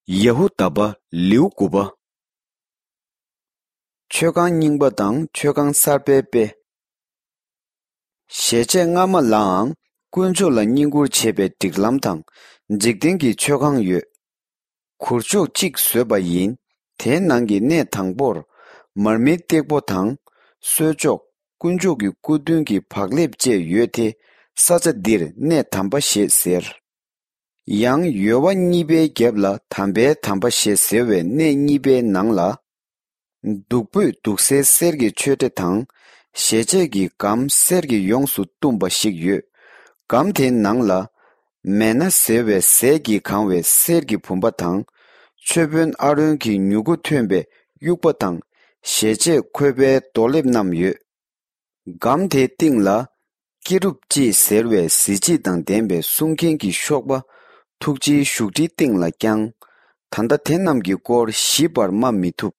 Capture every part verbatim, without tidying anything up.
ཡ་ཧུ་དཱ་པ། ལེའུ་དགུ་པ། མཆོད་ཁང་རྙིང་པ་དང་མཆོད་ཁང་གསར་པའི་དཔེ། ཞལ་ཆད་སྔ་མ་ལའང་དཀོན་མཆོག་ལ་བསྙེན་བཀུར་བྱེད་པའི་སྒྲིག་ལམ་དང་འཇིག་རྟེན་གྱི་མཆོད་ཁང་ཡོད། གུར་མཆོག་གཅིག་བཟོས་པ་ཡིན། དེའི་ནང་གི་གནས་དང་པོར་མར་མེའི་སྟེགས་བུ་དང་། གསོལ་ལྕོག། དཀོན་མཆོག་གི་སྐུ་མདུན་གྱི་བག་ལེབ་བཅས་ཡོད་དེ། ས་ཆ་འདིར་གནས་དམ་པ་ཞེས་ཟེར། ཡང་ཡོལ་བ་གཉིས་པའི་རྒྱབ་ལ་དམ་པའི་དམ་པ་ཞེས་ཟེར་བའི་གནས་གཉིས་པའི་ནང་ལ། བདུག་སྤོས་བདུག་སའི་གསེར་གྱི་མཆོད་ཁྲི་དང་། ཞལ་ཆད་ཀྱི་སྒམ་གསེར་གྱིས་ཡོངས་སུ་བཏུམས་པ་ཞིག་ཡོད། སྒམ་དེའི་ནང་ལ། མན་ན་ཟེར་བའི་ཟས་ཀྱིས་གང་བའི་གསེར་གྱི་བུམ་པ་དང་། མཆོད་དཔོན་ཨ་རོན་གྱི་མྱུ་གུ་ཐོན་པའི་དབྱུག་པ་དང་། ཞལ་ཆད་འཁོད་པའི་རྡོ་ལེབ་རྣམས་ཡོད། སྒམ་དེའི་སྟེང་ལ། ཀེ་རུབ་ཅེས་ཟེར་བའི་གཟི་བརྗིད་དང་ལྡན་པའི་སྲུང་མཁན་གྱི་གཤོག་པ། ཐུགས་རྗེའི་བཞུགས་ཁྲིའི་སྟེང་ལ་བརྐྱང་། ད་ལྟ་དེ་རྣམས་ཀྱི་སྐོར་ཞིབ་པར་སྨྲ་མི་ཐུབ།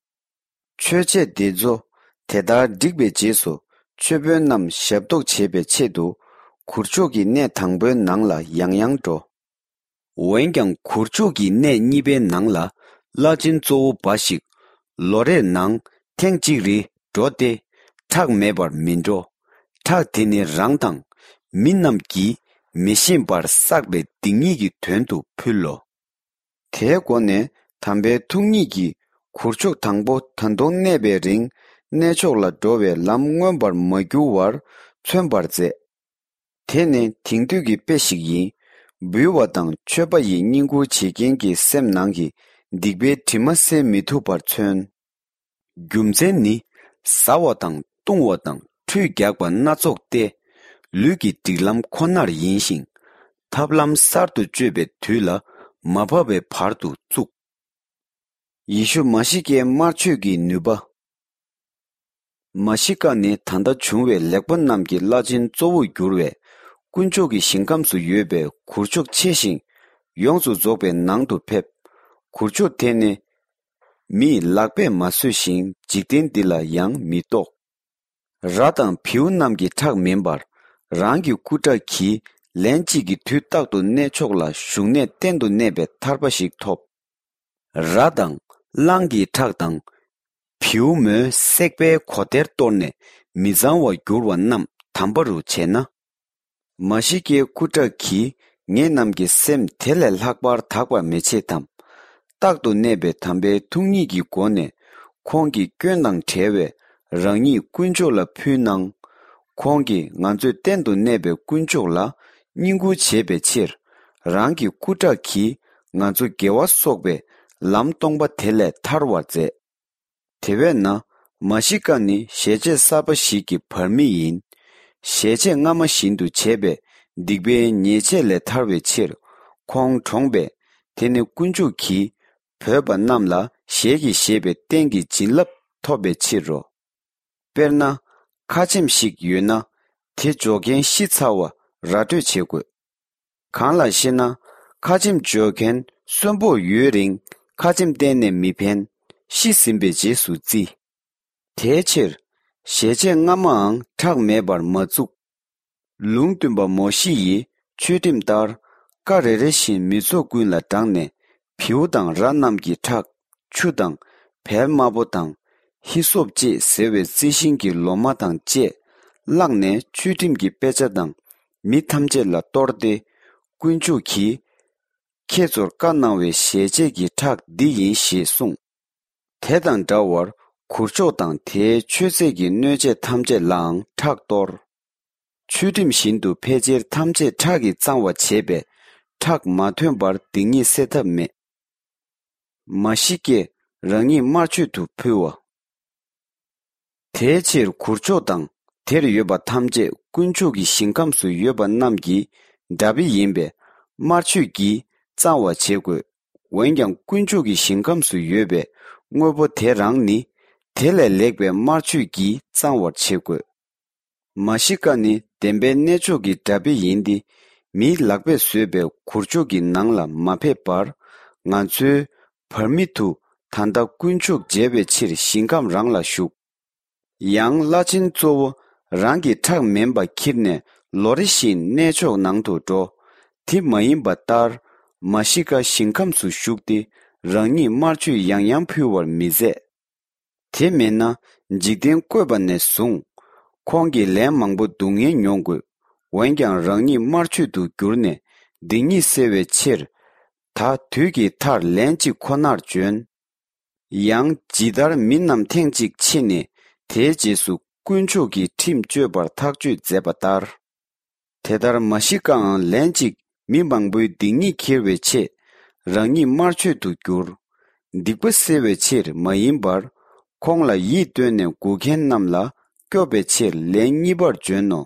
མཆོད་ཆས་འདི་ཚོ་དེ་ལྟར་བསྒྲིགས་པའི་རྗེས་སུ། མཆོད་དཔོན་རྣམས་ཞབས་ཏོག་བྱེད་པའི་ཆེད་དུ། གུར་མཆོག་གི་གནས་དང་པོའི་ནང་ལ་ཡང་ཡང་འགྲོ། འོན་ཀྱང་གུར་མཆོག་གི་གནས་གཉིས་པའི་ནང་ལ། བླ་ཆེན་གཙོ་བོ་འབའ་ཞིག་ལོ་རེར་ནང་ཐེངས་གཅིག་རེ་འགྲོ་སྟེ། ཁྲག་མེད་པར་མི་འགྲོ། ཁྲག་དེ་ནི་རང་དང་། མི་རྣམས་ཀྱིས་མི་ཤེས་པར་བསགས་པའི་སྡིག་ཉེས་ཀྱི་དོན་དུ་ཕུལ་ལོ། དེའི་སྒོ་ནས་དམ་པའི་ཐུགས་ཉིད་ཀྱིས། གུར་མཆོག་དང་པོ་ད་དུང་གནས་པའི་རིང་། གནས་མཆོག་ལ་འགྲོ་བའི་ལམ་མངོན་པར་མ་གྱུར་བར་མཚོན་པར་མཛད། དེ་ནི་དེང་དུས་ཀྱི་དཔེ་ཞིག་ཡིན། འབུལ་བ་དང་མཆོད་པ་ཡི་བསྙེན་བཀུར་བྱེད་མཁན་གྱི་སེམས་ནང་གི་སྡིག་པའི་དྲི་མ་སེལ་མི་ཐུབ་པར་མཚོན། རྒྱུ་མཚན་ནི། བཟའ་བ་དང་བཏུང་བ་དང་ཁྲུས་རྒྱག་པ་སྣ་ཚོགས་ཏེ། ལུས་ཀྱི་སྒྲིག་ལམ་ཁོ་ནར་ཡིན་ཞིང་། ཐབས་ལམ་གསར་དུ་སྤྱོད་པའི་དུས་ལ་མ་བབས་པའི་བར་དུ་བཙུགས། ཡེ་ཤུ་མཱ་ཤི་ཀའི་དམར་མཆོད་ཀྱི་ནུས་པ། མཱ་ཤི་ཀ་ནི་ད་ལྟ་བྱུང་བའི་ལེགས་པ་རྣམས་ཀྱི་བླ་ཆེན་གཙོ་བོར་གྱུར་བས། དཀོན་མཆོག་གི་ཞིང་ཁམས་སུ་ཡོད་པའི་གུར་མཆོག་ཆེ་ཞིང་ཡོངས་སུ་རྫོགས་པའི་ནང་དུ་ཕེབས། གུར་མཆོག་དེ་ནི་མིས་ལག་པས་མ་བཟོས་ཤིང་འཇིག་རྟེན་འདི་ལ་ཡང་མི་གཏོགས། ར་དང་བེའུ་རྣམས་ཀྱི་ཁྲག་མིན་པར། རང་གི་སྐུ་ཁྲག་གིས་ལན་གཅིག་གི་དུས་རྟག་ཏུ་གནས་མཆོག་ལ་བཞུགས་གནས་གཏན་དུ་གནས་པའི་ཐར་པ་ཞིག་ཐོབ། ར་དང་གླང་གི་ཁྲག་དང་། བེའུ་མོའི་བསྲེགས་པའི་གོ་དེར་གཏོར་ནས་མི་གཙང་བར་གྱུར་བ་རྣམས་དམ་པ་རུ་བྱས་ན། མཱ་ཤི་ཀའི་སྐུ་ཁྲག་གིས་ངེད་རྣམས་ཀྱི་སེམས་དེ་ལས་ལྷག་པར་དག་པར་མི་བྱེད་དམ། རྟག་ཏུ་གནས་པའི་དམ་པའི་ཐུགས་ཉིད་ཀྱི་སྒོ་ནས། ཁོང་གི་སྐྱོན་དང་བྲལ་བའི་རང་ཉིད་དཀོན་མཆོག་ལ་ཕུལ་གནང་། ཁོང་གིས་ང་ཚོས་གཏན་དུ་གནས་པའི་དཀོན་མཆོག་ལ་བསྙེན་བཀུར་བྱེད་པའི་ཕྱིར། རང་གི་སྐུ་ཁྲག་གིས་ང་ཚོ་དགེ་བ་གསོག་པའི་ལམ་སྟོང་པ་དེ་ལས་ཐར་བར་མཛད། དེ་བས་ན། མཱ་ཤི་ཀ་ནི་ཞལ་ཆད་གསར་པ་ཞིག་གི་བར་མི་ཡིན། ཞལ་ཆད་སྔ་མ་བཞིན་དུ་བྱས་པས་སྡིག་པའི་ཉེས་ཆད་ལས་ཐར་བའི་ཕྱིར། ཁོང་གྲོངས་པས། དེ་ནི་དཀོན་མཆོག་གིས་བོས་པ་རྣམས་ལ་ཞལ་གྱིས་བཞེས་པའི་རྟེན་གྱི་བྱིན་རླབས་ཐོབ་པའི་ཕྱིར་རོ། དཔེར་ན། ཁ་ཆེམས་ཤིག་ཡོད་ན། དེ་འཇོག་མཁན་ཤི་ཚར་བ་ར་སྤྲོད་བྱེད་དགོས། གང་ལགས་ཤེ་ན། ཁ་ཆེམས་འཇོག་མཁན་གསོན་པོར་ཡོད་རིང་ཁ་ཆེམས་གཏན་ནས་མི་ཕན། ཤི་ཟིན་པའི་རྗེས་སུ་བརྩི། དེའི་ཕྱིར། ཞལ་ཆད་སྔ་མའང་ཁྲག་མེད་པར་མ་བཙུགས། ལུང་སྟོན་པ་མོ་ཤེ་ཡིས་ཆོས་ཁྲིམས་ལྟར། བཀའ་རེ་རེ་བཞིན་མི་ཚོགས་ཀུན་ལ་བསྒྲགས་ནས། བེའུ་དང་ར་རྣམས་ཀྱི་ཁྲག་ཆུ་དང་བལ་དམར་པོ་དང་། ཧི་སོབ་ཅེས་ཟེར་བའི་རྩི་ཤིང་གི་ལོ་མ་དང་བཅས་བླངས་ནས། ཆོས་ཁྲིམས་ཀྱི་དཔེ་ཆ་དང་མི་ཐམས་ཅད་ལ་གཏོར་ཏེ། དཀོན་མཆོག་གིས་ཁྱེད་ཚོར་བཀའ་གནང་བའི་ཞལ་ཆད་ཀྱི་ཁྲག་འདི་ཡིན་ཞེས་གསུངས། དེ་དང་འདྲ་བར་གུར་མཆོག་དང་དེའི་མཆོད་རྫས་ཀྱི་སྣོད་ཆས་ཐམས་ཅད་ལའང་ཁྲག་གཏོར། ཆོས་ཁྲིམས་བཞིན་དུ་ཕལ་ཆེར་ཐམས་ཅད་ཁྲག་གིས་གཙང་བ་བྱས་པས། ཁྲག་མ་ཐོན་པར་སྡིག་ཉེས་སེལ་ཐབས་མེད། མཱ་ཤི་ཀས་རང་ཉིད་དམར་མཆོད་དུ་ཕུལ་བ། དེའི་ཕྱིར་གུར་མཆོག་དང་དེར་ཡོད་པ་ཐམས་ཅད་དཀོན་མཆོག་གི་ཞིང་ཁམས་སུ་ཡོད་པ་རྣམས་ཀྱི་འདྲ་དཔེ་ཡིན་པས། དམར་མཆོད་ཀྱིས་གཙང་བར་བྱེད་དགོས། འོན་ཀྱང་དཀོན་མཆོག་གི་ཞིང་ཁམས་སུ་ཡོད་པའི་དངོས་པོ་དེ་རང་ནི། དེ་ལས་ལེགས་པའི་དམར་མཆོད་ཀྱིས་གཙང་བར་བྱེད་དགོས། མཱ་ཤི་ཀ་ནི་བདེན་པའི་གནས་མཆོག་གི་འདྲ་དཔེ་ཡིན་ཏེ། མིའི་ལག་པས་བཟོས་པའི་གུར་མཆོག་གི་ནང་ལ་མ་ཕེབས་པར། ང་ཚོའི་བར་མི་དུ་ད་ལྟ་དཀོན་མཆོག་མཇལ་བའི་ཕྱིར་ཞིང་ཁམས་རང་ལ་བཞུགས། ཡང་བླ་ཆེན་གཙོ་བོ་རང་གི་ཁྲག་མིན་པ་ཁྱེར་ནས་ལོ་རེ་བཞིན་གནས་མཆོག་ནང་དུ་འགྲོ། དེ་མ་ཡིན་པ་ལྟར། མཱ་ཤི་ཀ་ཞིང་ཁམས་སུ་བཞུགས་ཏེ། རང་ཉིད་དམར་མཆོད་ཡང་ཡང་ཕུལ་བར་མི་མཛད། དེ་མིན་ན། འཇིག་རྟེན་བཀོད་པ་ནས་བཟུང་། ཁོང་གིས་ལན་མང་པོ་སྡུག་བསྔལ་མྱོང་དགོས། འོན་ཀྱང་རང་ཉིད་དམར་མཆོད་དུ་གྱུར་ནས་སྡིག་ཉེས་སེལ་བའི་ཕྱིར། ད་དུས་ཀྱི་མཐར་ལན་གཅིག་ཁོ་ནར་བྱོན། ཡང་ཇི་ལྟར་མི་རྣམས་ཐེངས་གཅིག་འཆི་ནས་དེའི་རྗེས་སུ་དཀོན་མཆོག་གི་ཁྲིམས་གཅོད་པར་ཐག་གཅོད་མཛད་པ་ལྟར། དེ་ལྟར་མཱ་ཤི་ཀའང་ལན་གཅིག་མི་མང་པོའི་སྡིག་ཉེས་ཁྱེར་བའི་ཆེད་རང་ཉིད་དམར་མཆོད་དུ་གྱུར། སྡིག་པ་སེལ་བའི་ཕྱིར་མ་ཡིན་པར། ཁོང་ལ་ཡིད་རྟོན་ནས་སྒུག་མཁན་རྣམས་ལ་སྐྱོབ་པའི་ཕྱིར་ལན་གཉིས་པར་བྱོན་ནོ།